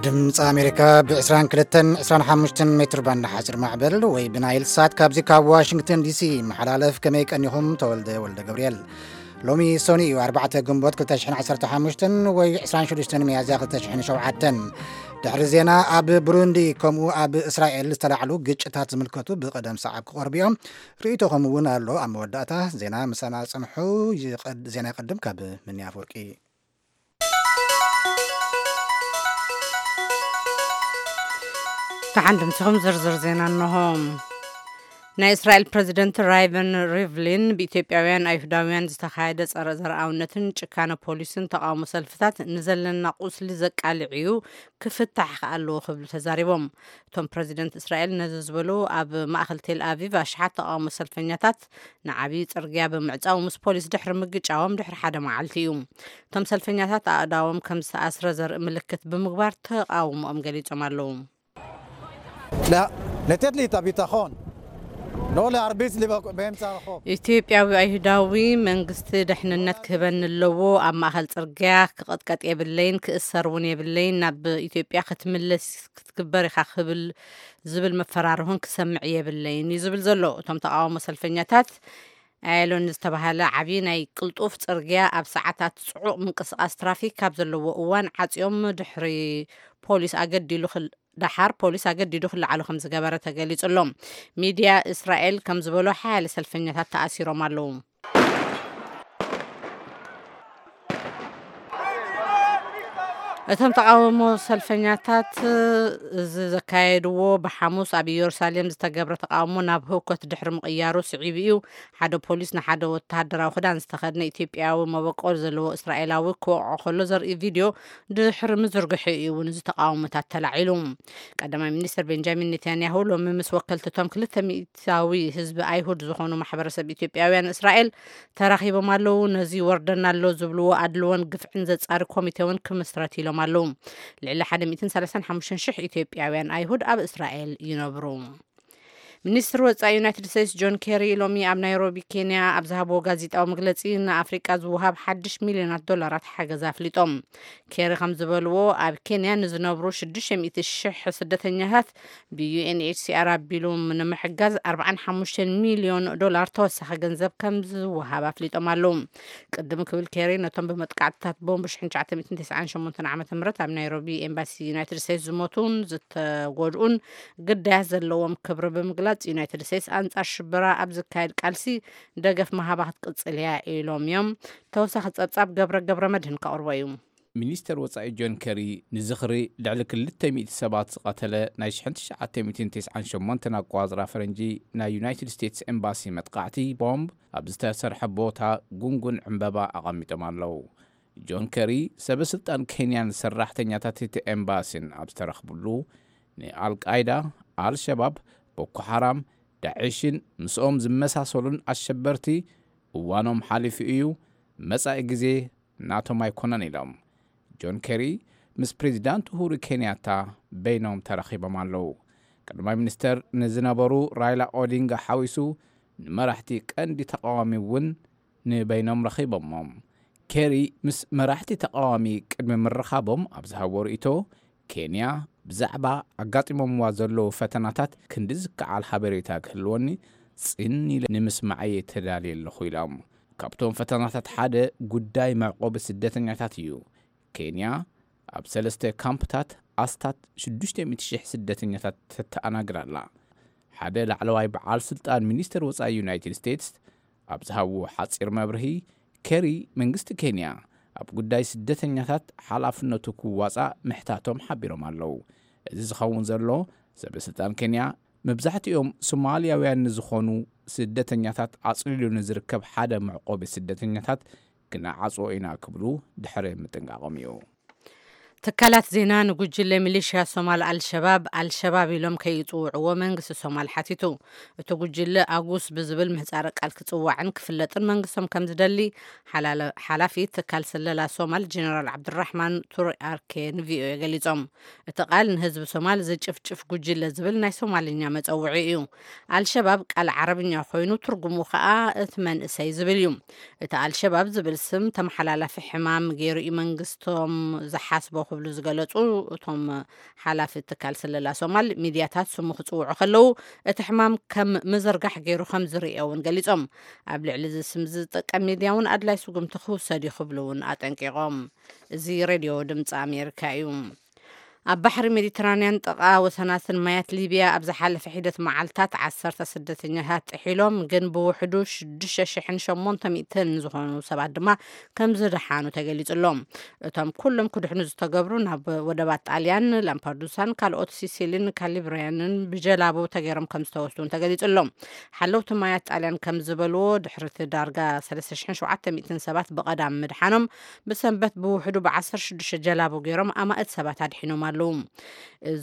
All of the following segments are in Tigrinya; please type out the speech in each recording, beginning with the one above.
ድምፂ ኣሜሪካ ብ22 25 ሜትር ባንድ ሓፂር ማዕበል ወይ ብናይል ሳት ካብዚ ካብ ዋሽንግተን ዲሲ መሓላለፍ። ከመይ ቀኒኹም? ተወልደ ወልደ ገብርኤል። ሎሚ ሰኑይ እዩ፣ ኣርባዕተ ግንቦት ክልተ ሽሕን ዓሰርተ ሓሙሽተን ወይ ዕስራን ሽዱሽተን ሚያዝያ ክልተ ሽሕን ሸውዓተን። ድሕሪ ዜና፣ ኣብ ብሩንዲ ከምኡ ኣብ እስራኤል ዝተላዕሉ ግጭታት ዝምልከቱ ብቐደም ሰዓብ ክቐርቡ እዮም። ርእይቶኹም እውን ኣሎ። ኣብ መወዳእታ ዜና ምሳና ጽንሑ። ይቐድ-፣ ዜና ይቐድም ካብ ምንያ ኣፈወርቂ። ደሓን ድምፅኹም። ዝርዝር ዜና እንሆ። ናይ እስራኤል ፕረዚደንት ራይቨን ሪቭሊን ብኢትዮጵያውያን ኣይሁዳውያን ዝተኻየደ ጸረ ዘርኣውነትን ጭካነ ፖሊስን ተቓውሞ ሰልፍታት ንዘለና ቁስሊ ዘቃልዕ እዩ፣ ክፍታሕ ከኣ ኣለዎ ክብሉ ተዛሪቦም። እቶም ፕረዚደንት እስራኤል ነዚ ዝበሉ ኣብ ማእከል ቴል ኣቪቭ ኣሽሓት ተቓውሞ ሰልፈኛታት ንዓብዪ ጽርግያ ብምዕጻው ምስ ፖሊስ ድሕሪ ምግጫዎም ድሕሪ ሓደ መዓልቲ እዩ። እቶም ሰልፈኛታት ኣእዳዎም ከም ዝተኣስረ ዘርኢ ምልክት ብምግባር ተቓውሞኦም ገሊጾም ኣለዉ። لا، לתת לי את הביטחון. לא להרביץ לי באמצע הרחוב. ኢትዮጵያዊ ኣይሁዳዊ መንግስቲ ድሕንነት ክህበኒ ኣለዎ። ኣብ ማእከል ጽርግያ ክቐጥቀጥ የብለይን፣ ክእሰር እውን የብለይን። ናብ ኢትዮጵያ ክትምለስ ክትግበር ኢኻ ክብል ዝብል መፈራርሆን ክሰምዕ የብለይን እዩ ዝብል ዘሎ። እቶም ተቓውሞ ሰልፈኛታት ኣየሎን ዝተባህለ ዓብዪ ናይ ቅልጡፍ ጽርግያ ኣብ ሰዓታት ጽዑቕ ምንቅስቓስ ትራፊክ ካብ ዘለዎ እዋን ዓጽዮም ድሕሪ ፖሊስ ኣገዲሉ ክል-፣ ደሓር ፖሊስ ኣገዲዱ ክለዓሉ ከም ዝገበረ ተገሊጹ ኣሎ። ሚድያ እስራኤል ከም ዝበሎ ሓያለ ሰልፈኛታት ተኣሲሮም ኣለዉ። እቶም ተቃውሞ ሰልፈኛታት እዚ ዘካየድዎ ብሓሙስ ኣብ ኢየሩሳሌም ዝተገብረ ተቃውሞ ናብ ህውከት ድሕሪ ምቕያሩ ስዒቡ እዩ። ሓደ ፖሊስ ንሓደ ወተሃደራዊ ክዳን ዝተኸድነ ኢትዮጵያዊ መበቆል ዘለዎ እስራኤላዊ ክወቕዖ ከሎ ዘርኢ ቪድዮ ድሕሪ ምዝርግሑ እዩ እውን እዚ ተቃውሞታት ተላዒሉ። ቀዳማይ ሚኒስትር ቤንጃሚን ኔታንያሁ ሎሚ ምስ ወከልቲ እቶም ክልተ ሚእታዊ ህዝቢ ኣይሁድ ዝኾኑ ማሕበረሰብ ኢትዮጵያውያን እስራኤል ተራኺቦም ኣለዉ። ነዚ ወርደና ኣሎ ዝብልዎ ኣድልዎን ግፍዕን ዘጻሪ ኮሚቴ እውን ክምስረት ኢሎም ኣለዉ። ልዕሊ ሓደ ሚእትን ሰላሳን ሓሙሽተን ሽሕ ኢትዮጵያውያን ኣይሁድ ኣብ እስራኤል ይነብሩ። ሚኒስትር ወጻኢ ዩናይትድ ስቴትስ ጆን ኬሪ ሎሚ ኣብ ናይሮቢ ኬንያ ኣብ ዝሃብዎ ጋዜጣዊ መግለጺ ንኣፍሪቃ ዝወሃብ ሓድሽ ሚልዮናት ዶላራት ሓገዝ ኣፍሊጦም። ኬሪ ከም ዝበልዎ ኣብ ኬንያ ንዝነብሩ ሽዱሽተ ሚእቲ ሽሕ ስደተኛታት ብዩኤንኤችሲኣር ኣቢሉ ንምሕጋዝ ኣርባዓን ሓሙሽተን ሚልዮን ዶላር ተወሳኺ ገንዘብ ከም ዝወሃብ ኣፍሊጦም ኣለዉ። ቅድም ክብል ኬሪ ነቶም ብመጥቃዕትታት ቦምብ ሽሕን ትሽዓተ ሚእትን ተስዓን ሸሞንተን ዓመተ ምህረት ኣብ ናይሮቢ ኤምባሲ ዩናይትድ ስቴትስ ዝሞቱን ዝተጎድኡን ግዳያት ዘለዎም ክብሪ ብምግላጽ ዩናይትድ ስቴትስ ኣንጻር ሽበራ ኣብ ዝካየድ ቃልሲ ደገፍ ምሃባ ክትቅጽል እያ ኢሎም እዮም። ተወሳኺ ጸብጻብ ገብረ ገብረ መድህን ከቕርቦ እዩ። ሚኒስተር ወጻኢ ጆን ከሪ ንዝኽሪ ልዕሊ ክልተ ሚእቲ ሰባት ዝቐተለ ናይ ሽሕን ትሽዓተ ሚእትን ተስዓን ሸሞንተን ኣቋጽራ ፈረንጂ ናይ ዩናይትድ ስቴትስ ኤምባሲ መጥቃዕቲ ቦምብ ኣብ ዝተሰርሐ ቦታ ጉንጉን ዕምበባ ኣቐሚጦም ኣለዉ። ጆን ከሪ ሰበ ስልጣን ኬንያን ሰራሕተኛታት እቲ ኤምባሲን ኣብ ዝተረኽብሉ ንኣልቃይዳ፣ ኣልሸባብ፣ ቦኮ ሓራም፣ ዳዕሽን ምስኦም ዝመሳሰሉን ኣሸበርቲ እዋኖም ሓሊፉ እዩ፣ መጻኢ ግዜ ናቶም ኣይኮነን ኢሎም። ጆን ኬሪ ምስ ፕሬዚዳንት ኡሁሩ ኬንያታ በይኖም ተራኺቦም ኣለዉ። ቀዳማይ ሚኒስተር ንዝነበሩ ራይላ ኦዲንጋ ሓዊሱ ንመራሕቲ ቀንዲ ተቃዋሚ እውን ንበይኖም ረኺቦሞም። ኬሪ ምስ መራሕቲ ተቃዋሚ ቅድሚ ምርኻቦም ኣብ ዝሃቦ ርእይቶ፣ ኬንያ ብዛዕባ ኣጋጢሞምዋ ዘለዉ ፈተናታት ክንዲ ዝከዓል ሓበሬታ ክህልወኒ ጽን ኢለ ንምስማዐይ ተዳልየ ኣለኹ ኢሎም። ካብቶም ፈተናታት ሓደ ጉዳይ መዕቆቢ ስደተኛታት እዩ። ኬንያ ኣብ ሰለስተ ካምፕታት ኣስታት ሽዱሽተ ሚእቲ ሽሕ ስደተኛታት ተተኣናግር ኣላ። ሓደ ላዕለዋይ በዓል ስልጣን ሚኒስተር ወጻኢ ዩናይትድ ስቴትስ ኣብ ዝሃብዎ ሓጺር መብርሂ፣ ኬሪ መንግስቲ ኬንያ ኣብ ጉዳይ ስደተኛታት ሓላፍነቱ ክዋጻእ ምሕታቶም ሓቢሮም ኣለዉ። እዚ ዝኸውን ዘሎ ሰበ ስልጣን ኬንያ መብዛሕትኦም ሶማልያውያን ንዝኾኑ ስደተኛታት ኣጽሊሉ ንዝርከብ ሓደ መዕቆቢ ስደተኛታት ክነዓጽዎ ኢና ክብሉ ድሕሪ ምጥንቃቖም እዩ። ትካላት ዜና ንጉጅለ ሚሊሽያ ሶማል ኣልሸባብ፣ ኣልሸባብ ኢሎም ከይጽውዕዎ መንግስቲ ሶማል ሓቲቱ። እቲ ጉጅለ ኣጉስ ብዝብል ምህጻረ ቃል ክጽዋዕን ክፍለጥን መንግስቶም ከም ዝደሊ ሓላለ-፣ ሓላፊ ትካል ስለላ ሶማል ጀነራል ዓብዱራሕማን ቱሪ ኣርኬ ንቪኦኤ ገሊጾም። እቲ ቃል ንህዝቢ ሶማል ዝጭፍጭፍ ጉጅለ ዝብል ናይ ሶማልኛ መጸውዒ እዩ። ኣልሸባብ ቃል ዓረብኛ ኮይኑ ትርጉሙ ከኣ እቲ መንእሰይ ዝብል እዩ። እቲ ኣልሸባብ ዝብል ስም ተመሓላላፊ ሕማም ገይሩ እዩ መንግስቶም ዝሓስቦ ክብሉ ዝገለጹ እቶም ሓላፊ ትካል ስለላ ሶማል፣ ሚድያታት ስሙ ክጽውዑ ከለዉ እቲ ሕማም ከም ምዝርጋሕ ገይሩ ከም ዝርእዮ እውን ገሊጾም። ኣብ ልዕሊ እዚ ስም ዝጥቀም ሚድያ እውን ኣድላይ ስጉምቲ ክውሰድ እዩ ክብሉ እውን ኣጠንቂቖም። እዚ ሬድዮ ድምፂ ኣሜሪካ እዩ። ኣብ ባሕሪ ሜዲትራንያን ጥቓ ወሰናስን ማያት ሊብያ ኣብ ዝሓለፈ ሒደት መዓልታት ዓሰርተ ስደተኛታት ጥሒሎም፣ ግን ብውሕዱ ሽዱሽተ ሽሕን ሸሞንተ ሚእትን ዝኾኑ ሰባት ድማ ከም ዝደሓኑ ተገሊጹ ኣሎ። እቶም ኩሎም ክድሕኑ ዝተገብሩ ናብ ወደባት ጣልያን፣ ላምፓዱሳን ካልኦት ሲሲሊን ካሊብሪያንን ብጀላቡ ተገይሮም ከም ዝተወስዱን ተገሊጹ ኣሎ። ሓለውቲ ማያት ጣልያን ከም ዝበልዎ፣ ድሕሪ እቲ ዳርጋ ሰለስተ ሽሕን ሸውዓተ ሚእትን ሰባት ብቐዳም ምድሓኖም፣ ብሰንበት ብውሕዱ ብዓሰርተ ሽዱሽተ ጀላቡ ገይሮም ኣማእት ሰባት ኣድሒኖም ኣለዉ።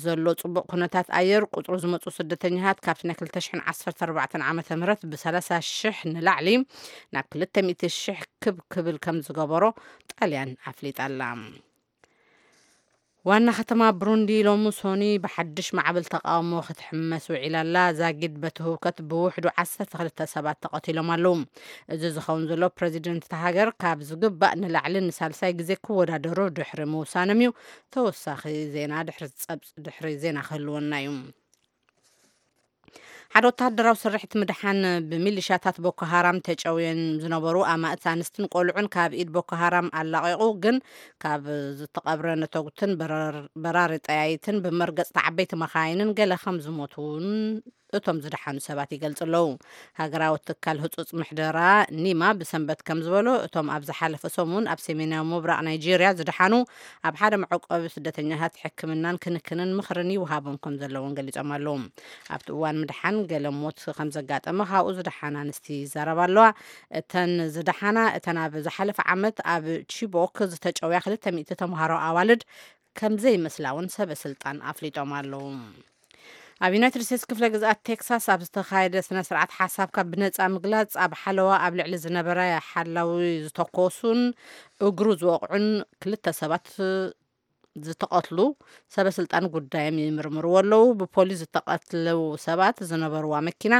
ዘሎ ጽቡቕ ኩነታት ኣየር፣ ቁጽሩ ዝመጹ ስደተኛታት ካብቲ ናይ ክልተ ሽሕን ዓሰርተ ኣርባዕተን ዓመተ ምህረት ብሰላሳ ሽሕ ንላዕሊ ናብ ክልተ ሚእቲ ሽሕ ክብ ክብል ከም ዝገበሮ ጣልያን ኣፍሊጣ ኣላ። ዋና ከተማ ብሩንዲ ሎሚ ሶኒ ብሓድሽ ማዕበል ተቃውሞ ክትሕመስ ውዒላ ኣላ። ዛጊድ በቲ ህውከት ብውሕዱ ዓሰርተ ክልተ ሰባት ተቐቲሎም ኣለዉ። እዚ ዝኸውን ዘሎ ፕረዚደንት እታ ሃገር ካብ ዝግባእ ንላዕሊ ንሳልሳይ ግዜ ክወዳደሩ ድሕሪ ምውሳኖም እዩ። ተወሳኺ ዜና ድሕሪ ጸብጽ-፣ ድሕሪ ዜና ክህልወና እዩ። ሓደ ወተሃደራዊ ስርሒት ምድሓን ብሚሊሻታት ቦኮ ሃራም ተጨውየን ዝነበሩ ኣማእት ኣንስትን ቆልዑን ካብ ኢድ ቦኮ ሃራም ኣላቒቑ፣ ግን ካብ ዝተቐብረ ነተጉትን በራር-፣ በራሪ ጠያይትን ብመርገጽቲ ዓበይቲ መኻይንን ገለ ከም ዝሞቱ እውን እቶም ዝደሓኑ ሰባት ይገልጹ ኣለዉ። ሃገራዊ ትካል ህጹጽ ምሕደራ ኒማ ብሰንበት ከም ዝበሎ፣ እቶም ኣብ ዝሓለፈ ሰሙን ኣብ ሰሜናዊ ምብራቕ ናይጄርያ ዝደሓኑ ኣብ ሓደ መዕቆቢ ስደተኛታት ሕክምናን ክንክንን ምኽርን ይወሃቦም ከም ዘለውን ገሊጾም ኣለዉ። ኣብቲ እዋን ምድሓን ገለ ሞት ከም ዘጋጠመ ካብኡ ዝደሓና ኣንስቲ ይዛረባ ኣለዋ። እተን ዝደሓና፣ እተን ኣብ ዝሓለፈ ዓመት ኣብ ቺቦክ ዝተጨውያ ክልተ ሚእቲ ተምሃሮ ኣዋልድ ከም ዘይመስላ እውን ሰበ ስልጣን ኣፍሊጦም ኣለዉ። ኣብ ዩናይትድ ስቴትስ ክፍለ ግዝኣት ቴክሳስ ኣብ ዝተኻየደ ስነ ስርዓት ሓሳብካ ብነጻ ምግላጽ ኣብ ሓለዋ ኣብ ልዕሊ ዝነበረ ሓላዊ ዝተኮሱን እግሩ ዝወቕዑን ክልተ ሰባት ዝተቐትሉ ሰበ ስልጣን ጉዳዮም ይምርምርዎ ኣለዉ። ብፖሊስ ዝተቐትሉ ሰባት ዝነበርዋ መኪና፣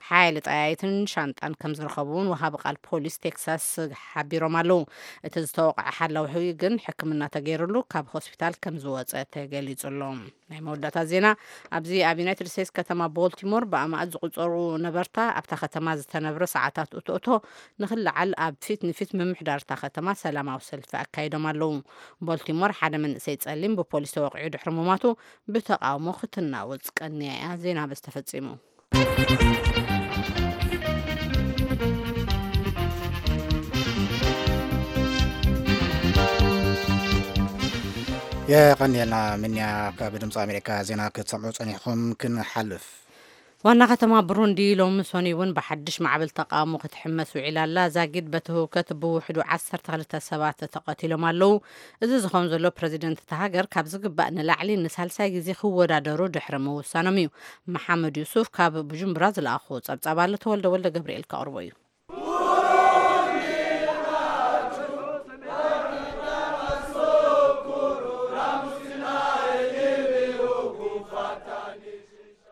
ሓይሊ ጠያይትን ሻንጣን ከም ዝረኸቡ እውን ወሃቢ ቃል ፖሊስ ቴክሳስ ሓቢሮም ኣለዉ። እቲ ዝተወቕዐ ሓላዊ ግን ሕክምና ተገይሩሉ ካብ ሆስፒታል ከም ዝወጸ ተገሊጹ ኣሎ። ናይ መወዳእታ ዜና። ኣብዚ ኣብ ዩናይትድ ስቴትስ ከተማ ቦልቲሞር ብኣማእት ዝቑጸሩ ነበርታ ኣብታ ከተማ ዝተነብረ ሰዓታት እቶእቶ ንኽለዓል ኣብ ፊት ንፊት ምምሕዳር እታ ከተማ ሰላማዊ ሰልፊ ኣካይዶም ኣለዉ። ቦልቲሞር ሓደ መንእሰይ ጸሊም ብፖሊስ ተወቒዑ ድሕሪ ምሟቱ ብተቓውሞ ክትናወጽ ቀንያ እያ። ዜና በዚ ተፈጺሙ። የቐንየልና ምንያ። ካብ ድምፂ ኣሜሪካ ዜና ክትሰምዑ ጸኒሕኹም። ክንሓልፍ። ዋና ከተማ ብሩንዲ ሎሚ ሶኒ እውን ብሓድሽ ማዕበል ተቃውሞ ክትሕመስ ውዒላ ኣላ። ዛጊድ በቲ ህውከት ብውሕዱ ዓሰርተ ክልተ ሰባት ተቐቲሎም ኣለዉ። እዚ ዝኸውን ዘሎ ፕረዚደንት እታ ሃገር ካብ ዝግባእ ንላዕሊ ንሳልሳይ ግዜ ክወዳደሩ ድሕሪ ምውሳኖም እዩ። መሓመድ ዩሱፍ ካብ ቡጁምብራ ዝለኣኹ ጸብጻብ ኣሎ። ተወልደ ወልደ ገብርኤል ከቕርቦ እዩ።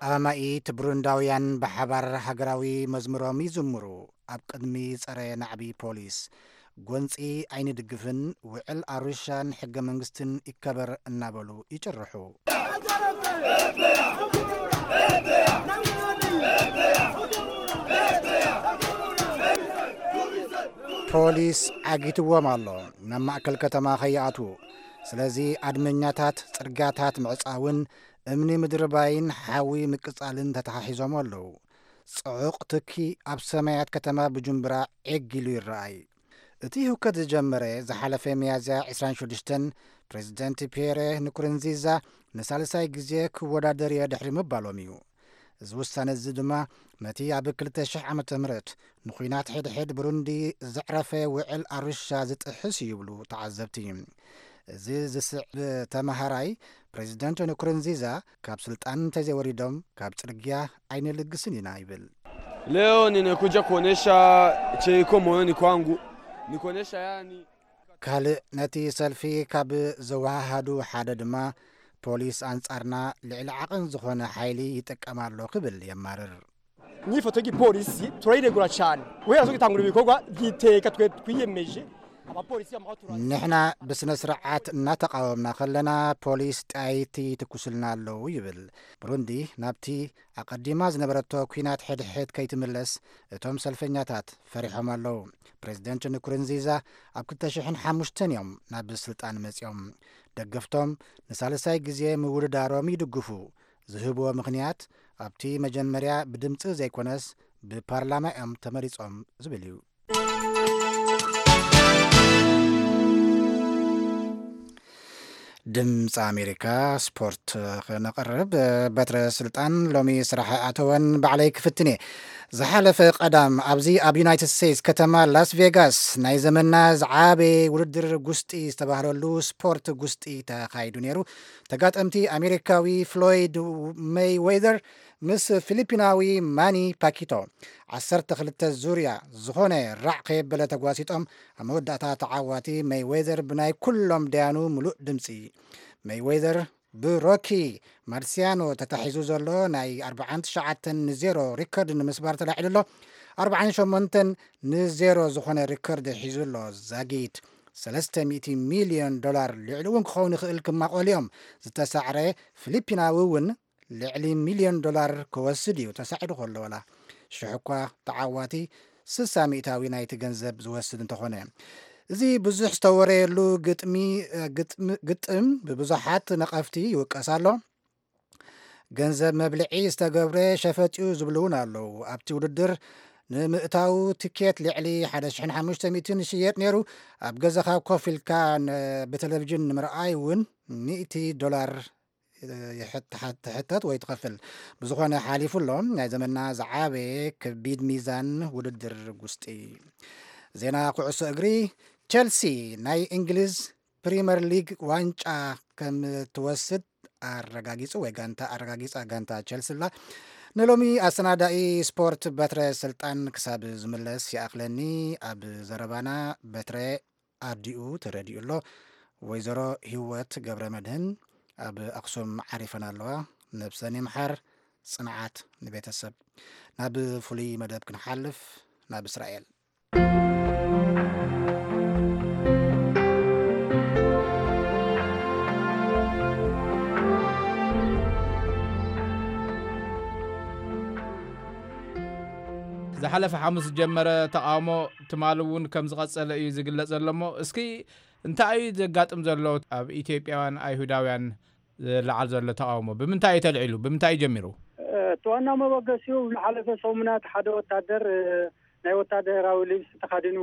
ኣማኢት ብሩንዳውያን ብሓባር ሃገራዊ መዝሙሮም ይዝምሩ። ኣብ ቅድሚ ጸረ ናዕቢ ፖሊስ፣ ጎንጺ ኣይንድግፍን፣ ውዕል ኣሩሻን ሕገ መንግስትን ይከበር እናበሉ ይጭርሑ። ፖሊስ ዓጊትዎም ኣሎ፣ ናብ ማእከል ከተማ ከይኣትዉ። ስለዚ ኣድመኛታት ጽርግያታት ምዕጻውን እምኒ ምድርባይን ሓዊ ምቅጻልን ተተሓሒዞም ኣለዉ። ጽዑቕ ትኪ ኣብ ሰማያት ከተማ ቡጁምብራ ዒግ ኢሉ ይረኣይ። እቲ ህውከት ዝጀመረ ዝሓለፈ ሚያዝያ ዕስራን ሽዱሽተን፣ ፕሬዚደንት ፒየረ ንኩርንዚዛ ንሳልሳይ ግዜ ክወዳደር እየ ድሕሪ ምባሎም እዩ። እዚ ውሳነ እዚ ድማ ነቲ ኣብ ክልተ ሽሕ ዓመተ ምህረት ንኹናት ሕድሕድ ብሩንዲ ዘዕረፈ ውዕል ኣሩሻ ዝጥሕስ እዩ ይብሉ ተዓዘብቲ። እዚ ዝስዕብ ተማሃራይ፣ ፕሬዚደንት ንኩርንዚዛ ካብ ስልጣን እንተዘይወሪዶም ካብ ጽርግያ ኣይንልግስን ኢና ይብል። Leo nimekuja kuonesha cheiko moyoni kwangu, nikuonesha yani. ካልእ ነቲ ሰልፊ ካብ ዘወሃሃዱ ሓደ ድማ፣ ፖሊስ ኣንጻርና ልዕሊ ዓቐን ዝኾነ ሓይሊ ይጥቀም ኣሎ ክብል የማርር። Inyifato y'igipolisi turayiregura cyane, guhera zo gitangura ibikorwa giteka twe twiyemeje abapolisi b'amahoro turazi. ንሕና ብስነ ስርዓት እናተቃወምና ከለና፣ ፖሊስ ጠያይቲ ትኩስልና ኣለዉ ይብል። ብሩንዲ ናብቲ ኣቐዲማ ዝነበረቶ ኲናት ሕድሕድ ከይትምለስ እቶም ሰልፈኛታት ፈሪሖም ኣለዉ። ፕሬዚደንት ንኩርንዚዛ ኣብ ክልተ ሽሕን ሓሙሽተን እዮም ናብ ስልጣን መጺኦም። ደገፍቶም ንሳልሳይ ግዜ ምውድዳሮም ይድግፉ። ዝህብዎ ምኽንያት፣ ኣብቲ መጀመርያ ብድምጺ ዘይኮነስ ብፓርላማ እዮም ተመሪጾም ዝብል እዩ። ድምፂ ኣሜሪካ፣ ስፖርት ክነቕርብ። በትረ ስልጣን ሎሚ ስራሕ ኣተወን፣ ባዕለይ ክፍትን እየ። ዝሓለፈ ቀዳም ኣብዚ ኣብ ዩናይትድ ስቴትስ ከተማ ላስ ቬጋስ ናይ ዘመንና ዝዓበየ ውድድር ጉስጢ ዝተባህለሉ ስፖርት ጉስጢ ተኻይዱ ነይሩ። ተጋጠምቲ ኣሜሪካዊ ፍሎይድ ሜይዌዘር ምስ ፊሊፒናዊ ማኒ ፓኪቶ ዓሰርተ ክልተ ዙርያ ዝኾነ ራዕ ከየበለ ተጓሲጦም፣ ኣብ መወዳእታ ተዓዋቲ ሜይዌዘር ብናይ ኩሎም ደያኑ ምሉእ ድምፂ። ሜይዌዘር ብሮኪ ማርሲያኖ ተታሒዙ ዘሎ ናይ ኣርብዓን ትሽዓተን ንዜሮ ሪከርድ ንምስባር ተላዒሉ ኣሎ። ኣርብዓን ሸሞንተን ንዜሮ ዝኾነ ሪከርድ ሒዙ ኣሎ። ዛጊት ሰለስተ ሚእቲ ሚልዮን ዶላር፣ ልዕሊ እውን ክኸውን ይኽእል፣ ክማቆል እዮም። ዝተሳዕረ ፊሊፒናዊ እውን ልዕሊ ሚልዮን ዶላር ክወስድ እዩ። ተሳዒሩ ከሎ ዋላ ሽሕ እኳ ተዓዋቲ ስሳ ሚእታዊ ናይቲ ገንዘብ ዝወስድ እንተኾነ፣ እዚ ብዙሕ ዝተወረየሉ ግጥሚ፣ ግጥም፣ ግጥም ብብዙሓት ነቐፍቲ ይውቀስ ኣሎ። ገንዘብ መብልዒ ዝተገብረ ሸፈጥ እዩ ዝብሉ እውን ኣለዉ። ኣብቲ ውድድር ንምእታው ትኬት ልዕሊ ሓደ ሽሕን ሓሙሽተ ሚእትን ይሽየጥ ነይሩ። ኣብ ገዛኻ ኮፍ ኢልካ ን-፣ ብቴሌቪዥን ንምርኣይ እውን ሚእቲ ዶላር ይሕት-፣ ትሕተት ወይ ትኸፍል። ብዝኾነ ሓሊፉ ኣሎ፣ ናይ ዘመንና ዝዓበየ ከቢድ ሚዛን ውድድር ጉስጢ። ዜና ኩዕሶ እግሪ። ቸልሲ ናይ እንግሊዝ ፕሪመር ሊግ ዋንጫ ከም ትወስድ ኣረጋጊጹ፣ ወይ ጋንታ ኣረጋጊጻ፣ ጋንታ ቸልሲ ላ። ንሎሚ ኣሰናዳኢ ስፖርት በትረ ስልጣን ክሳብ ዝምለስ ይኣኽለኒ። ኣብ ዘረባና በትረ ኣዲኡ ተረዲኡ ኣሎ። ወይዘሮ ህይወት ገብረ መድህን ኣብ ኣኽሱም ዓሪፈን ኣለዋ። ነብሰን ይምሓር። ጽንዓት ንቤተሰብ። ናብ ፍሉይ መደብ ክንሓልፍ፣ ናብ እስራኤል። ዝሓለፈ ሓሙስ ዝጀመረ ተቓውሞ ትማሊ እውን ከም ዝቐጸለ እዩ ዝግለጽ ዘሎ። እሞ እስኪ እንታይ እዩ ዘጋጥም ዘሎ? ኣብ ኢትዮጵያውያን ኣይሁዳውያን ዝለዓል ዘሎ ተቓውሞ ብምንታይ እዩ ተልዒሉ? ብምንታይ እዩ ጀሚሩ? እቲ ዋና መበገሲኡ ዝሓለፈ ሰሙናት ሓደ ወታደር፣ እ፣ ናይ ወታደራዊ ልብሲ ተኻዲኑ፣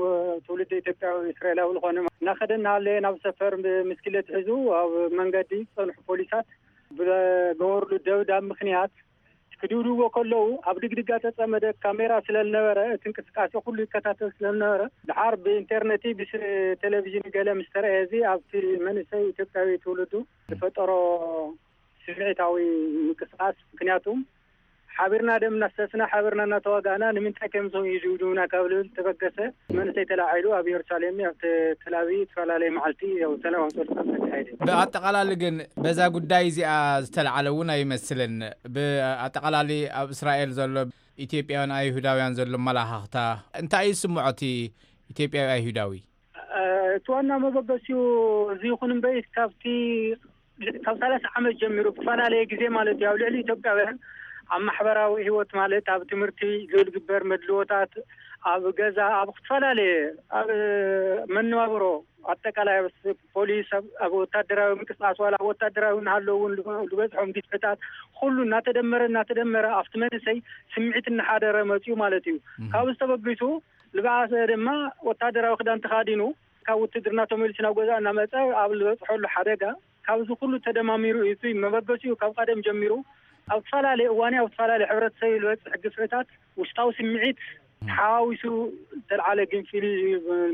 ትውልድ ኢትዮጵያዊ እስራኤላዊ ዝኾነ እናኸደ እናሃለየ ናብ ሰፈር ብምስክሌት ሒዙ ኣብ መንገዲ ዝጸንሑ ፖሊሳት ብገበርሉ ደብዳብ ምኽንያት ክድብድብዎ ከለዉ ኣብ ድግድጋ ተጸመደ ካሜራ ስለ ዝነበረ እቲ እንቅስቃሴ ኩሉ ይከታተል ስለ ዝነበረ፣ ድሓር ብኢንተርነት ብቴሌቪዥን ገለ ምስ ተረኣየ፣ እዚ ኣብቲ መንእሰይ ኢትዮጵያዊ ትውልዱ ዝፈጠሮ ስምዒታዊ ምንቅስቃስ፣ ምክንያቱ ሓቢርና ደም እናፍሰስና፣ ሓቢርና እናተዋጋእና ንምንታይ ከምዞም ይድብድቡና ካብ ልብል ተበገሰ። መንእሰይ ተላዒሉ ኣብ ኢየሩሳሌም ኣብ ተላቢ ዝተፈላለየ መዓልቲ ያው ሰላማዊ ሰልፊ ተካየደ። ብኣጠቓላሊ ግን በዛ ጉዳይ እዚኣ ዝተለዓለ እውን ኣይመስልን። ብኣጠቓላሊ ኣብ እስራኤል ዘሎ ኢትዮጵያውያን ኣይሁዳውያን ዘሎ መላኻኽታ እንታይ እዩ ዝስምዖ እቲ ኢትዮጵያዊ ኣይሁዳዊ? እቲ ዋና መበገሲኡ እዚ ይኹን እምበይ ካብቲ ካብ ሰላሳ ዓመት ጀሚሩ ብፈላለየ ግዜ ማለት እዩ ኣብ ልዕሊ ኢትዮጵያውያን ኣብ ማሕበራዊ ህይወት ማለት ኣብ ትምህርቲ ዝግበር መድልዎታት፣ ኣብ ገዛ፣ ኣብ ዝተፈላለየ ኣብ መነባብሮ ኣጠቃላይ ኣብ ፖሊስ፣ ኣብ ወታደራዊ ምንቅስቃስ ዋላ ኣብ ወታደራዊ እናሃለዉ እውን ዝበፅሖም ግፍዕታት ኩሉ እናተደመረ እናተደመረ ኣብቲ መንእሰይ ስምዒት እናሓደረ መፅኡ ማለት እዩ። ካብዚ ተበጊሱ ዝበኣሰ ድማ ወታደራዊ ክዳን ተኻዲኑ ካብ ውትድርና ተመሊሱ ናብ ገዛ እናመፀ ኣብ ዝበፅሐሉ ሓደጋ ካብዚ ኩሉ ተደማሚሩ እዩ። እቲ መበገሲኡ ካብ ቀደም ጀሚሩ ኣብ ዝተፈላለየ እዋን ኣብ ዝተፈላለየ ሕብረተሰብ ዝበፅሕ ግፍዕታት ውሽጣዊ ስምዒት ሓዊሱ ዝተልዓለ ግንፊል እዩ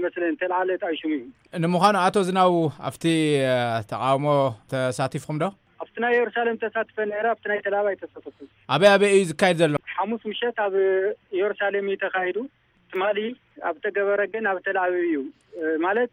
መስለን፣ ዝተልዓለ ጣይሹም እዩ። ንምዃኑ ኣቶ ዝናቡ ኣብቲ ተቃውሞ ተሳቲፍኩም ዶ? ኣብቲ ናይ ኢየሩሳሌም ተሳትፈ ነይረ፣ ኣብቲ ናይ ተላብ ኣይተሳተፍኩ። ኣበይ ኣበይ እዩ ዝካየድ ዘሎ? ሓሙስ ምሸት ኣብ ኢየሩሳሌም እዩ ተኻሂዱ። ትማሊ ኣብ ተገበረ ግን ኣብ ተላብ እዩ። ማለት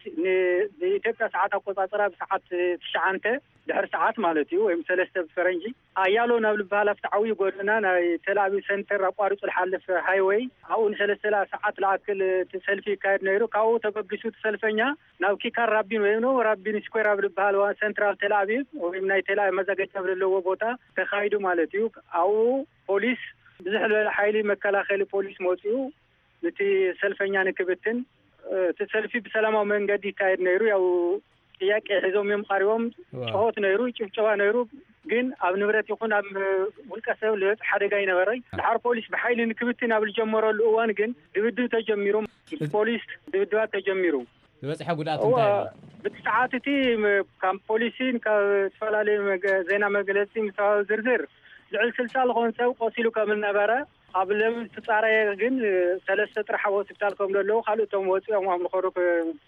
ብኢትዮጵያ ሰዓት ኣቆጻጽራ ብሰዓት ትሽዓንተ ድሕሪ ሰዓት ማለት እዩ፣ ወይም ሰለስተ ብፈረንጂ ኣያሎ ናብ ልበሃል ኣብቲ ዓብዪ ጎደና ናይ ተላብ ሰንተር ኣቋሪጹ ዝሓልፍ ሃይወይ፣ ኣብኡ ንሰለስተ ሰዓት ዝኣክል እቲ ሰልፊ ይካየድ ነይሩ። ካብኡ ተበጊሱ እቲ ሰልፈኛ ናብ ኪካር ራቢን ወይም ነው ራቢን ስኩዌር ኣብ ልበሃል ሰንትራል ተላብ ወይም ናይ ተላብ መዘጋጃ ኣብ ዘለዎ ቦታ ተኻይዱ ማለት እዩ። ኣብኡ ፖሊስ፣ ብዙሕ ዝበለ ሓይሊ መከላኸሊ ፖሊስ መፂኡ ነቲ ሰልፈኛ ንክብትን፣ እቲ ሰልፊ ብሰላማዊ መንገዲ ይካየድ ነይሩ። ያው ጥያቄ ሒዞም እዮም ቀሪቦም። ጭሆት ነይሩ፣ ጭብጨባ ነይሩ። ግን ኣብ ንብረት ይኹን ኣብ ውልቀ ሰብ ዝበፅሕ ሓደጋ ኣይነበረይ። ድሓር ፖሊስ ብሓይሊ ንክብትን ኣብ ዝጀመረሉ እዋን ግን ድብድብ ተጀሚሩ። ምስ ፖሊስ ድብድባት ተጀሚሩ። ዝበፅሐ ጉድኣት እንታይ ኣሎ? ብቲ ሰዓት እቲ ካብ ፖሊስን ካብ ዝተፈላለዩ ዜና መግለፂ ምስተዋሃበ ዝርዝር ልዕሊ ስልሳ ዝኾን ሰብ ቆሲሉ ከም ዝነበረ፣ ኣብ ለሚ ዝተፃረየ ግን ሰለስተ ጥራሕ ኣብ ሆስፒታል ከም ዘለዉ፣ ካልኦቶም ወፂኦም ኣብ ንኸዱ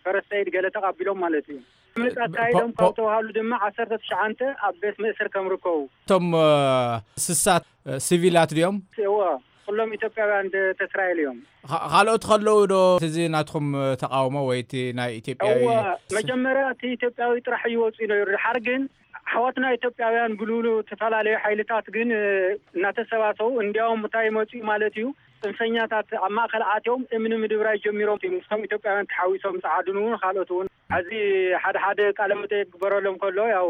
ፈረስተይድ ገለ ተቐቢሎም ማለት እዩ። መፅ ኣካይዶም ካብ ተባሃሉ ድማ ዓሰርተ ትሽዓንተ ኣብ ቤት መእሰር ከም ርከቡ። እቶም ስሳት ሲቪላት ድዮም? እዎ፣ ኩሎም ኢትዮጵያውያን ቤተ እስራኤል እዮም። ካልኦት ከለዉ ዶ እዚ ናትኩም ተቃውሞ ወይ እቲ ናይ ኢትዮጵያዊ? እዎ፣ መጀመርያ እቲ ኢትዮጵያዊ ጥራሕ ይወፁ ነይሩ። ድሓር ግን ኣሕዋትና ኢትዮጵያውያን ብልብሉ ዝተፈላለዩ ሓይልታት ግን እናተሰባሰቡ፣ እንዲያውም እንታይ መፅኡ ማለት እዩ፣ ፅንፈኛታት ኣብ ማእከል ኣትዮም እምኒ ምድብራይ ጀሚሮም እዮም። ምስቶም ኢትዮጵያውያን ተሓዊሶም ፃዓዱን እውን ካልኦት እውን። ሕዚ ሓደ ሓደ ቃለ መጠይቅ ክግበረሎም ከሎ፣ ያው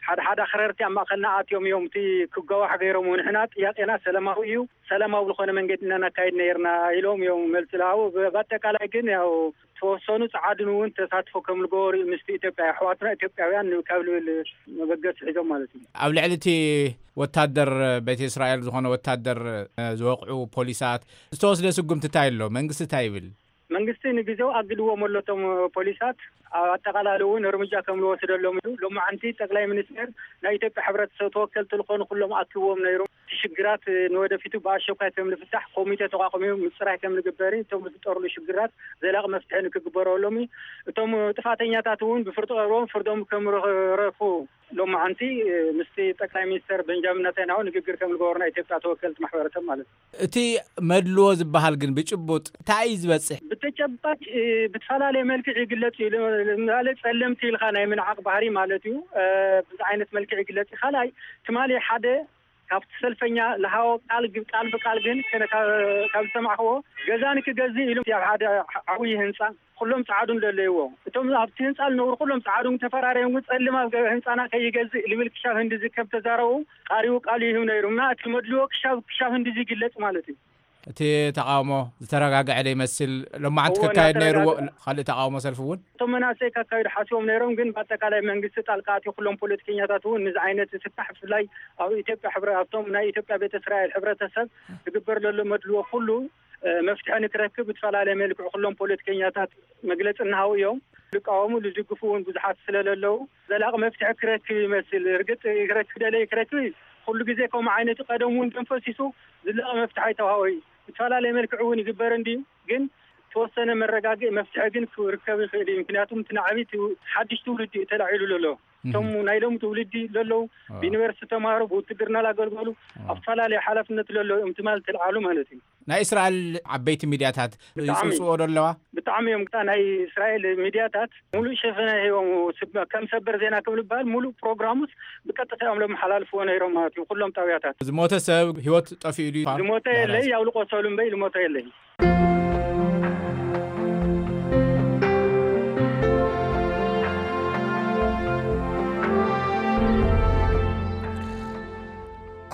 ሓደ ሓደ ኣኽረርቲ ኣብ ማእከልና ኣትዮም እዮም እቲ ክገዋሕ ገይሮም። ንሕና ጥያቄና ሰላማዊ እዩ፣ ሰላማዊ ዝኾነ መንገዲ ኢና ነካይድ ነይርና ኢሎም እዮም መልሲ ዝሃቡ። ብኣጠቃላይ ግን ያው ተወሰኑ ፃዓዱን እውን ተሳትፎ ከም ዝገበሩ እዩ ምስቲ ኢትዮጵያ ኣሕዋትና ኢትዮጵያውያን ካብ ልብል መበገሲ ሒዞም ማለት እዩ። ኣብ ልዕሊ እቲ ወታደር ቤተ እስራኤል ዝኾነ ወታደር ዝወቕዑ ፖሊሳት ዝተወስደ ስጉምቲ እንታይ ኣሎ? መንግስቲ እንታይ ይብል? መንግስቲ ንግዜው ኣግድዎም ኣሎ እቶም ፖሊሳት። ኣብ ኣጠቃላሊ እውን እርምጃ ከም ዝወስደሎም እዩ። ሎማዓንቲ ጠቅላይ ሚኒስትር ናይ ኢትዮጵያ ሕብረተሰብ ተወከልቲ ዝኾኑ ኩሎም ኣኪብዎም ነይሩ። እቲ ሽግራት ንወደፊቱ ብኣሸኳይ ከም ዝፍታሕ ኮሚቴ ተቋቁሙ ምፅራይ ከም ዝግበር፣ እቶም ዝፍጠርሉ ሽግራት ዘላቂ መፍትሒ ንክግበረሎም፣ እቶም ጥፋተኛታት እውን ብፍርዲ ቀርቦም ፍርዶም ከም ረፉ ሎማዓንቲ ምስቲ ጠቅላይ ሚኒስትር ቤንጃሚን ነታንያሁ ንግግር ከም ዝገበሩ ናይ ኢትዮጵያ ተወከልቲ ማሕበረሰብ ማለት እዩ። እቲ መድልዎ ዝበሃል ግን ብጭቡጥ እንታይ እዩ ዝበፅሕ? ብተጨባጭ ብዝፈላለየ መልክዕ ይግለፅ እዩ። ማለት ፀለምቲ ኢልካ ናይ ምንዓቅ ባህሪ ማለት እዩ። ብዚ ዓይነት መልክዕ ይግለፅ እዩ። ካልኣይ ትማሊ ሓደ ካብቲ ሰልፈኛ ዝሃቦ ቃል ቃል ብቃል ግን ካብ ዝሰማዕክዎ ገዛ ንክገዝእ ኢሉ ኣብ ሓደ ዓብዪ ህንፃ ኩሎም ፃዓዱን ዘለይዎ እቶም ኣብቲ ህንፃ ዝነብሩ ኩሎም ፃዓዱን ተፈራሪዮም ግን ፀልም ኣብ ህንፃና ከይገዝእ ልብል ክሻብ ህንዲ ዝከብ ተዛረቡ ቃሪቡ ቃል ይህብ ነይሩ እና እቲ መድልዎ ክሻብ ክሻብ ህንዲ ዝግለፅ ማለት እዩ። እቲ ተቃውሞ ዝተረጋግዐ ዶ ይመስል? ሎማዓንቲ ክካየድ ነይርዎ ካልእ ተቃውሞ ሰልፊ እውን? እቶም መናእሰይ ካካይዱ ሓስቦም ነይሮም ግን ብኣጠቃላይ መንግስቲ ጣልቃ ኣትዩ ኩሎም ፖለቲከኛታት እውን ንዚ ዓይነት ዝፍታሕ ብፍላይ ኣብ ኢትዮጵያ ኣብቶም ናይ ኢትዮጵያ ቤተ እስራኤል ሕብረተሰብ ዝግበር ዘሎ መድልዎ ኩሉ መፍትሒ ንክረክብ ብዝፈላለየ መልክዑ ኩሎም ፖለቲከኛታት መግለፂ እናሃቡ እዮም። ዝቃወሙ ዝድግፉ እውን ብዙሓት ስለለለዉ ዘላቂ መፍትሒ ክረክብ ይመስል። እርግጥ ክረክብ ደለይ ክረክብ ኩሉ ግዜ ከምኡ ዓይነት ቀደም እውን ደም ፈሲሱ ዝላቂ መፍትሒ ኣይተዋሃቦ እዩ። ብዝፈላለየ መልክዕ እውን ይግበር እንድዩ ግን ተወሰነ መረጋግኢ መፍትሒ ግን ክርከብ ይኽእል እዩ። ምክንያቱም እቲ ናዕቢ ሓድሽ ትውልዲ እዩ ተላዒሉ ዘሎ። እቶም ናይ ሎም ትውልዲ ለለዉ ብዩኒቨርሲቲ ተማሃሩ ብውትድርና ላገልገሉ ኣብ ዝተፈላለዩ ሓላፍነት ለለዉ እዮም ትማል ተልዓሉ ማለት እዩ። ናይ እስራኤል ዓበይቲ ሚድያታት ይፅውፅዎ ዶ ኣለዋ? ብጣዕሚ እዮም። ናይ እስራኤል ሚድያታት ሙሉእ ሸፈነ ሂቦም ከም ሰበር ዜና ክብል በሃል ሙሉእ ፕሮግራሙስ ብቀጥታ እዮም ለመሓላልፍዎ ነይሮም ማለት እዩ። ኩሎም ጣብያታት ዝሞተ ሰብ ህይወት ጠፊኡ ድዩ? ዝሞተ የለይ። ያው ዝቆሰሉ እምበይ ዝሞተ የለይ።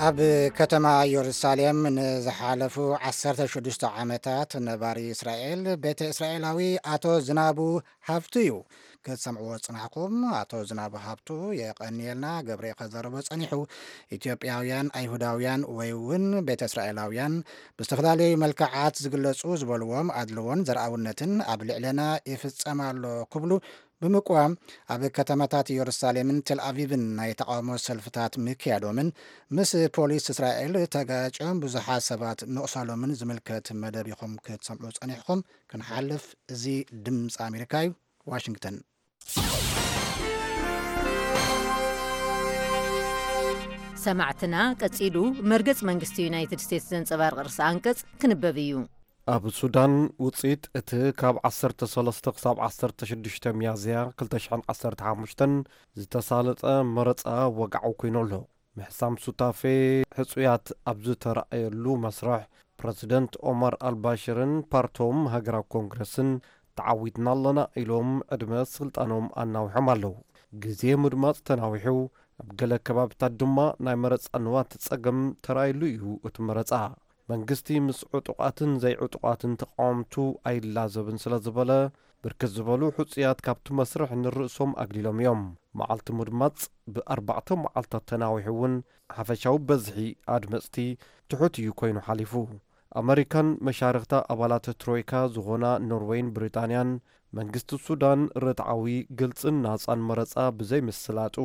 ኣብ ከተማ ኢየሩሳሌም ንዝሓለፉ ዓሰርተ ሽዱሽተ ዓመታት ነባሪ እስራኤል ቤተ እስራኤላዊ ኣቶ ዝናቡ ሃብቱ እዩ። ክትሰምዕዎ ዝጽናሕኩም ኣቶ ዝናቡ ሃብቱ የቐንየልና። ገብሬ ከዘረቦ ጸኒሑ። ኢትዮጵያውያን ኣይሁዳውያን ወይ እውን ቤተ እስራኤላውያን ብዝተፈላለዩ መልክዓት ዝግለጹ ዝበልዎም ኣድልዎን ዘርኣውነትን ኣብ ልዕለና ይፍጸም ኣሎ ክብሉ ብምቅዋም ኣብ ከተማታት ኢየሩሳሌምን ቴል ኣቪቭን ናይ ተቓውሞ ሰልፍታት ምክያዶምን ምስ ፖሊስ እስራኤል ተጋጭዮም ብዙሓት ሰባት ምቑሳሎምን ዝምልከት መደብ ኢኹም ክትሰምዑ ጸኒሕኹም። ክንሓልፍ፣ እዚ ድምፂ ኣሜሪካ እዩ። ዋሽንግተን። ሰማዕትና፣ ቀጺሉ መርገጽ መንግስቲ ዩናይትድ ስቴትስ ዘንጸባርቕ ርእሰ ኣንቀጽ ክንበብ እዩ። ኣብ ሱዳን፣ ውጽኢት እቲ ካብ ዓሰርተ ሰለስተ ክሳብ ዓሰርተ ሽዱሽተ ሚያዝያ ክልተ ሽሕን ዓሰርተ ሓሙሽተን ዝተሳለጠ መረጻ ወግዓዊ ኮይኑ ኣሎ። ምሕሳም ሱታፌ ሕጹያት ኣብ ዝተራእየሉ መስርሕ፣ ፕረዚደንት ኦማር ኣልባሽርን ፓርቶም ሃገራዊ ኮንግረስን ተዓዊትና ኣለና ኢሎም ዕድመ ስልጣኖም ኣናዊሖም ኣለዉ። ግዜ ምድማጽ ተናዊሑ፣ ኣብ ገለ ከባቢታት ድማ ናይ መረጻ ንዋት ጸገም ተራእየሉ እዩ እቲ መረጻ። መንግስቲ ምስ ዕጡቓትን ዘይዕጡቓትን ተቓወምቱ ኣይላዘብን ስለ ዝበለ፣ ብርክት ዝበሉ ሕጹያት ካብቲ መስርሕ ንርእሶም ኣግሊሎም እዮም። መዓልቲ ምድማጽ ብኣርባዕተ መዓልታት ተናዊሑ እውን፣ ሓፈሻዊ በዝሒ ኣድመጽቲ ትሑት እዩ ኮይኑ ሓሊፉ። ኣመሪካን መሻርኽታ ኣባላት ትሮይካ ዝኾና ኖርወይን ብሪጣንያን፣ መንግስቲ ሱዳን ርትዓዊ፣ ግልጽን ናጻን መረጻ ብዘይምስላጡ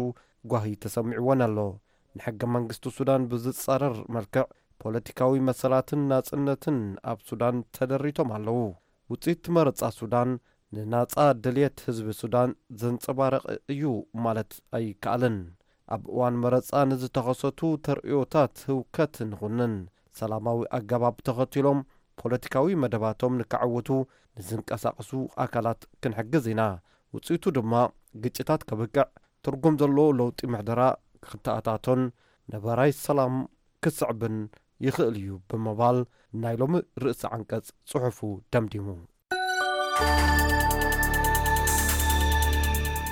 ጓሂ ተሰሚዕወን ኣሎ። ንሕገ መንግስቲ ሱዳን ብዝጻረር መልክዕ፣ ፖለቲካዊ መሰላትን ናጽነትን ኣብ ሱዳን ተደሪቶም ኣለዉ። ውጽኢት መረጻ ሱዳን ንናጻ ድልየት ህዝቢ ሱዳን ዘንጸባርቕ እዩ ማለት ኣይከኣልን። ኣብ እዋን መረጻ ንዝተኸሰቱ ተርእዮታት ህውከት ንኹንን፣ ሰላማዊ ኣገባብ ተኸቲሎም ፖለቲካዊ መደባቶም ንከዕውቱ ንዝንቀሳቐሱ ኣካላት ክንሕግዝ ኢና። ውጽኢቱ ድማ ግጭታት ከብቅዕ፣ ትርጉም ዘለዎ ለውጢ ምሕደራ ክተኣታቶን ነባራይ ሰላም ክስዕብን ይኽእል እዩ ብምባል ናይ ሎሚ ርእሰ ዓንቀጽ ጽሑፉ ደምዲሙ።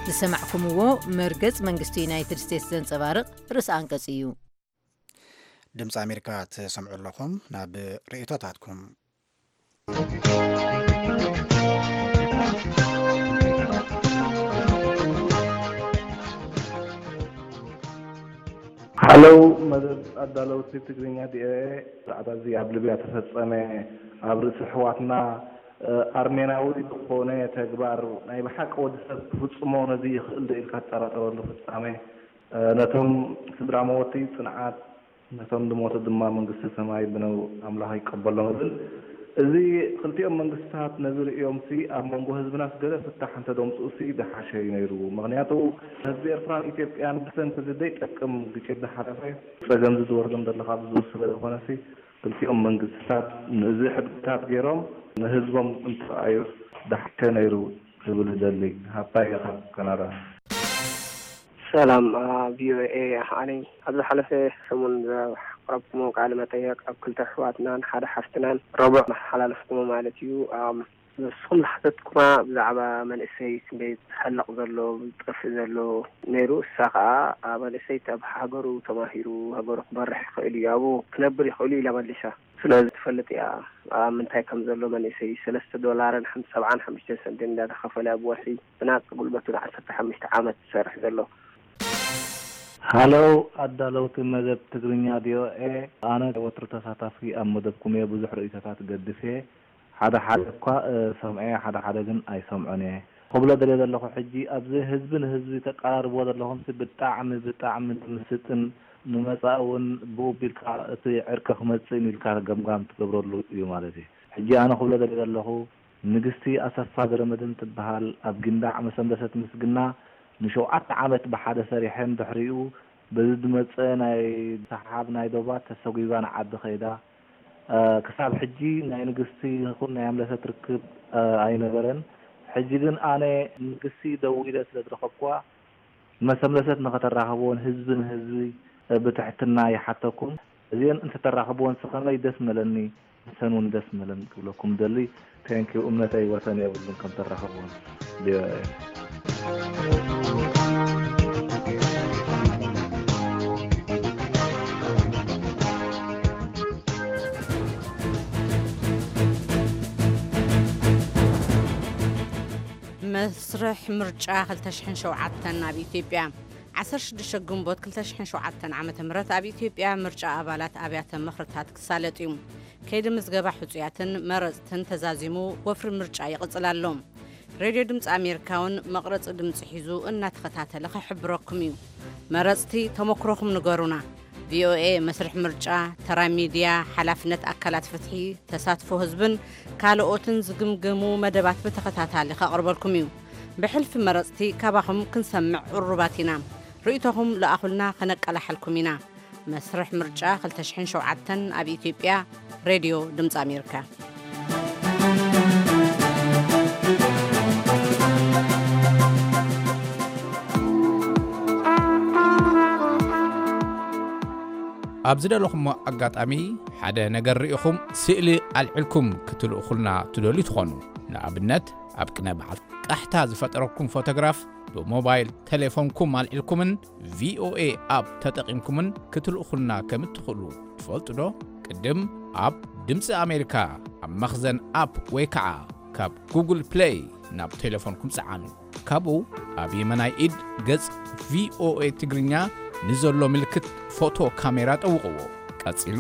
ዝሰማዕኩምዎ መርገጽ መንግስቲ ዩናይትድ ስቴትስ ዘንጸባርቕ ርእሰ ኣንቀጽ እዩ። ድምፂ ኣሜሪካ ትሰምዑ ኣለኹም። ናብ ርእይቶታትኩም። ሃለው መደብ ኣዳለውቲ ትግርኛ ቪኦኤ፣ ጻዕዳ እዚ ኣብ ሊብያ ተፈጸመ፣ ኣብ ርእሲ ኣሕዋትና፣ እ፣ ኣርሜናዊ ዝኾነ ተግባር ናይ ብሓቂ ወዲ ሰብ ክፍጽሞ ነዚ ይኽእል ዶ ኢልካ ትጠራጠረሉ ፍጻሜ፣ እ፣ ነቶም ስድራ መወቲ ጽንዓት፣ ነቶም ዝሞቱ ድማ መንግስተ ሰማይ ብነው ኣምላኽ ይቀበሎም እብል። እዚ ክልቲኦም መንግስታት ነዚ ርእዮምሲ ኣብ መንጎ ህዝብናስ ገለ ፍታሕ እንተደምጽኡሲ ዝሓሸ እዩ ነይሩ። ምኽንያቱ ህዝቢ ኤርትራን ኢትዮጵያን ብሰንኪ እዚ ዘይጠቅም ግጭት ዝሓለፈ ጸገም እዚ ዝወርዶም ዘሎ ካብ ዝውስበ ዝኾነሲ ክልቲኦም መንግስታት ነዚ ሕድግታት ገይሮም ንህዝቦም እንተረኣዩ ዝሓሸ ነይሩ ክብል እደሊ። ሃብታይ ኢኻ ካናዳ። ሰላም ቪኦኤ፣ ኣነ ኣብ ዝሓለፈ ሰሙን ዘቕረብኩሞ ቃለ መጠየቕ ኣብ ክልተ ኣሕዋትናን ሓደ ሓፍትናን ረቡዕ መሓላለፍኩሞ ማለት እዩ። ኣም፣ ንስኹም ዝሓተትኩማ ብዛዕባ መንእሰይ ክንደይ ዝሕለቕ ዘሎ ዝጠፍእ ዘሎ ነይሩ። እሳ ኸኣ መንእሰይ ኣብ ሃገሩ ተማሂሩ ሃገሩ ክመርሕ ይኽእል እዩ፣ ኣብኡ ክነብር ይኽእል እዩ ኢላ መሊሳ። ስለዚ ትፈልጥ እያ ኣብ ምንታይ ከም ዘሎ መንእሰይ። ሰለስተ ዶላርን ሓም-፣ ሰብዓን ሓሙሽተ ሰንትን እንዳተኸፈለ ኣብ ወርሒ ብናጻ ጉልበቱ ንዓሰርተ ሓሙሽተ ዓመት ዝሰርሕ ዘሎ። ሃለው ኣዳለውቲ መደብ ትግርኛ ቪኦኤ፣ ኣነ ወትሩ ተሳታፊ ኣብ መደብኩም እየ። ብዙሕ ርእይቶታት ገድፍ እየ። ሓደ ሓደ እኳ እሰምዖ እየ፣ ሓደ ሓደ ግን ኣይሰምዖን እየ። ክብሎ ደልየ ዘለኹ ሕጂ ኣብዚ ህዝቢ ንህዝቢ ተቀራርብዎ ዘለኹምሲ ብጣዕሚ ብጣዕሚ ንምስጥን ንመጻኢ እውን ብኡ ቢልካ እቲ ዕርቂ ክመጽእ ኢልካ ገምጋም ትገብረሉ እዩ ማለት እዩ። ሕጂ ኣነ ክብሎ ደልየ ዘለኹ ንግስቲ ኣሰፋ ገረመድህን ትበሃል ኣብ ጊንዳዕ መሰንበሰት ምስግና ንሸውዓተ ዓመት ብሓደ ሰሪሐን ድሕሪኡ በዚ ዝመጸ ናይ ሰሓብ ናይ ዶባት ተሰጒጋ ንዓዲ ከይዳ። ክሳብ ሕጂ ናይ ንግስቲ ይኹን ናይ ኣምለሰት ርክብ ኣይነበረን። ሕጂ ግን ኣነ ንግስቲ ደዊለ ስለ ዝረኸብኩዋ መሰምለሰት ንኸተራኽብዎን ህዝቢ ንህዝቢ ብትሕትና ይሓተኩም። እዚአን እንተተራኽብወንስ ከመይ ደስ መለኒ፣ ንሰን እውን ደስ መለን ክብለኩም ደሊ። Thank you። እምነተይ ወሰን የብሉን ከም ተራኽብወን። ቪኦኤ። መስርሕ ምርጫ ክልተ ሽሕን ሸውዓተን ኣብ ኢትዮጵያ። ዓሰርተ ሽዱሽተ ግንቦት ክልተ ሽሕን ሸውዓተን ዓመተ ምህረት ኣብ ኢትዮጵያ ምርጫ ኣባላት ኣብያተ ምኽርታት ክሳለጥ እዩ። ከይዲ ምዝገባ ሕጹያትን መረጽትን ተዛዚሙ ወፍሪ ምርጫ ይቕጽል ኣሎ። ሬድዮ ድምፂ ኣሜሪካ እውን መቕረፂ ድምፂ ሒዙ እናተኸታተለ ክሕብረኩም እዩ። መረፅቲ፣ ተመክሮኹም ንገሩና። ቪ ኦ ኤ መስርሕ ምርጫ፣ ተራ ሚድያ፣ ሓላፍነት ኣካላት ፍትሒ፣ ተሳትፎ ህዝብን ካልኦትን ዝግምገሙ መደባት ብተኸታታሊ ከቕርበልኩም እዩ። ብሕልፊ መረፅቲ ካባኹም ክንሰምዕ ቅሩባት ኢና። ርእይቶኹም ለኣኹልና፣ ከነቀላሕልኩም ኢና። መስርሕ ምርጫ ክልተ ሽሕን ሸውዓተን ኣብ ኢትዮጵያ፣ ሬድዮ ድምፂ ኣሜሪካ። ኣብ ዝደለኹሞ ኣጋጣሚ ሓደ ነገር ርኢኹም ስእሊ ኣልዒልኩም ክትልእኹልና ትደልዩ ትኾኑ። ንኣብነት፣ ኣብ ቅነ በዓል ቃሕታ ዝፈጠረኩም ፎቶግራፍ ብሞባይል ቴሌፎንኩም ኣልዒልኩምን ቪ ኦ ኤ ኣፕ ተጠቒምኩምን ክትልእኹልና ከም እትኽእሉ ትፈልጡ ዶ? ቅድም ኣብ ድምፂ ኣሜሪካ ኣብ መኽዘን ኣፕ ወይ ከዓ ካብ ጉግል ፕሌይ ናብ ቴሌፎንኩም ፀዓኑ። ካብኡ ኣብ የመናይ ኢድ ገጽ ቪ ኦ ኤ ትግርኛ ንዘሎ ምልክት ፎቶ ካሜራ ጠውቕዎ። ቀጺሉ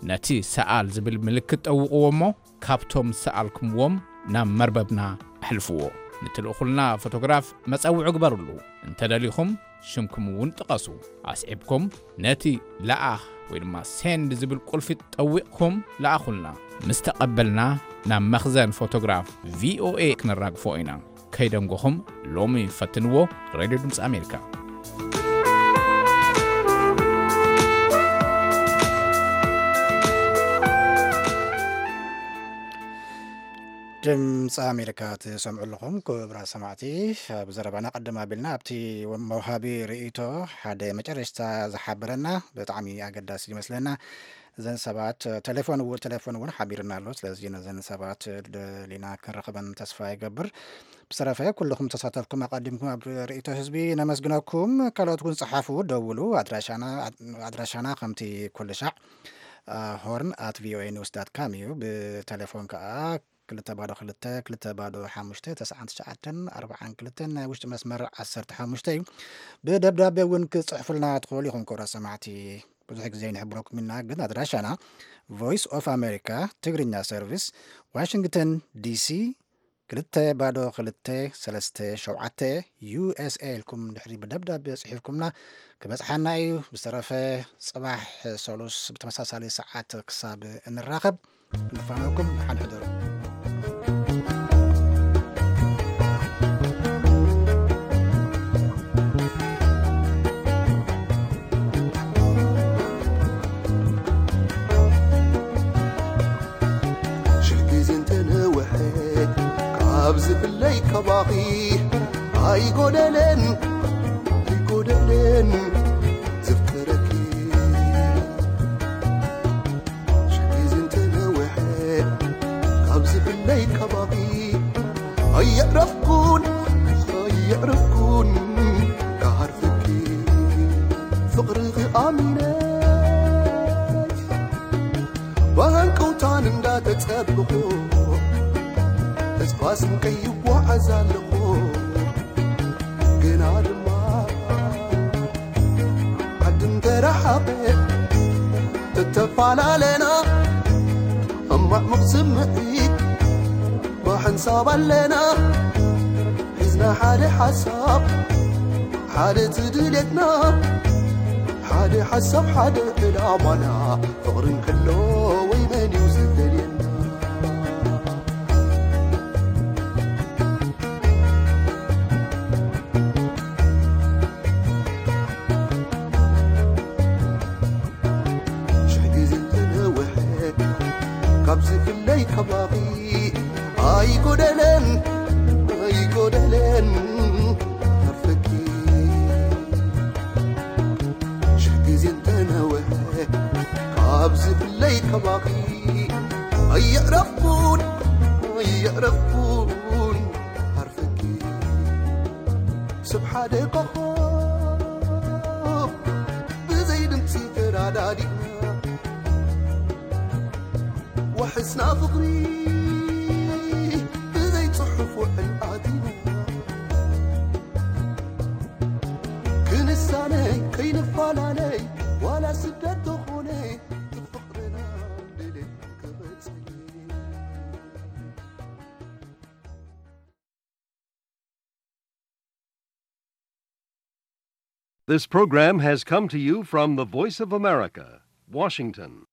ነቲ ሰኣል ዝብል ምልክት ጠውቕዎ እሞ ካብቶም ሰኣልኩምዎም ናብ መርበብና ኣሕልፍዎ። ንትልእኹልና ፎቶግራፍ መጸውዒ ግበሩሉ። እንተደሊኹም ሽምኩም እውን ጥቐሱ። ኣስዒብኩም ነቲ ለኣኽ ወይ ድማ ሴንድ ዝብል ቁልፊ ጠዊቕኩም ለኣኹልና። ምስ ተቐበልና ናብ መኽዘን ፎቶግራፍ ቪ ኦ ኤ ክንራግፎ ኢና። ከይደንጎኹም ሎሚ ፈትንዎ። ሬድዮ ድምፂ ኣሜሪካ። ድምፂ ኣሜሪካ ትሰምዑ ኣለኹም ክቡራት ሰማዕቲ። ኣብ ዘረባና ቀደም ኣቢልና ኣብቲ መውሃቢ ርእይቶ ሓደ መጨረሽታ ዝሓበረና ብጣዕሚ ኣገዳሲ ይመስለና። እዘን ሰባት ቴሌፎን እው-፣ ቴሌፎን እውን ሓቢርና ኣሎ። ስለዚ ነዘን ሰባት ደሊና ክንረኽበን ተስፋ ይገብር። ብዝተረፈ ኩልኹም ተሳተፍኩም ኣቐዲምኩም ኣብ ርእይቶ ህዝቢ ነመስግነኩም። ካልኦት እውን ጸሓፉ፣ ደውሉ። ኣድራሻና፣ ኣድራሻና ከምቲ ኩሉ ሻዕ፣ አ፣ ሆርን ኣት ቪ ኦ ኤ ኒውስ ዳት ካም እዩ። ብቴሌፎን ከኣ ክልተ ባዶ ክልተ፣ ክልተ ባዶ ሓሙሽተ፣ ተስዓን ትሽዓተን ኣርባዓን ክልተን ናይ ውሽጢ መስመር ዓሰርተ ሓሙሽተ እዩ። ብደብዳቤ እውን ክጽሕፉልና ትኽእሉ ኢኹም ክቡራት ሰማዕቲ። ብዙሕ ግዜ ይንሕብረኩም ኢና፣ ግን ኣድራሻና ቮይስ ኦፍ ኣሜሪካ ትግርኛ ሰርቪስ፣ ዋሽንግተን ዲ ሲ፣ ክልተ ባዶ ክልተ ሰለስተ ሸውዓተ፣ ዩ ኤስ ኤ ኢልኩም ድሕሪ ብደብዳቤ ጽሒፍኩምና ክበጽሓና እዩ። ብዝተረፈ ጽባሕ ሰሉስ ብተመሳሳሊ ሰዓት ክሳብ እንራኸብ፣ ንፋነወኩም፣ ደሓን ሕደሩ። ሽሕ ግዜ እንተነውሐ ካብ ዝፍለይ ካባኺ ኣይጎደለን፣ ኣይጎደለን ዘፍቅረኪ። ሽሕ ግዜ እንተነውሐ ካብ ዝፍለይ ካባኺ ኣየዕረፍኩን፣ ኣየዕረፍኩን ክሃርፈኪ። ፍቕርኺ ኣሚነ ብሃንቀውታን እንዳተጸበኹ ተስፋ ስንቀይ ይጓዓዝ ኣለኹ። ግና ድማ ዓዲ እንተረሓቐ ተተፈላለና፣ ኣብ ማዕሙቕ ስምዒት ብሓንሳብ ኣለና። ሒዝና ሓደ ሓሳብ፣ ሓደ እቲ ድሌትና፣ ሓደ ሓሳብ፣ ሓደ ዕላማና። ፍቕሪ እንከሎ ወይ መን እዩ ዝፈልየና? ሽሕ ግዜ እንተነውሐ ካብ ዝፍለይ ካባኺ ኣይጎደለን፣ ኣይጎደለን ሃርፈኪ። ሽሕ ግዜ እንተነውሐ ካብ ዝፍለይ ካባኺ ኣየዕረፍኩን፣ ኣየዕረፍኩን ሃርፈኪ። ሰብ ሓደ ኮኾብ ብዘይ ድምፂ ተራዳዲእና፣ ዋሕስና ፍቕሪ ብዘይ ጽሑፍ ውዕል ኣቲና፣ ክንሳነ ከይንፈላለ ዋላ ስደት ተኾነ ፍቕርና ድሌት ክቕጽል። This program has come to you from the Voice of America, Washington.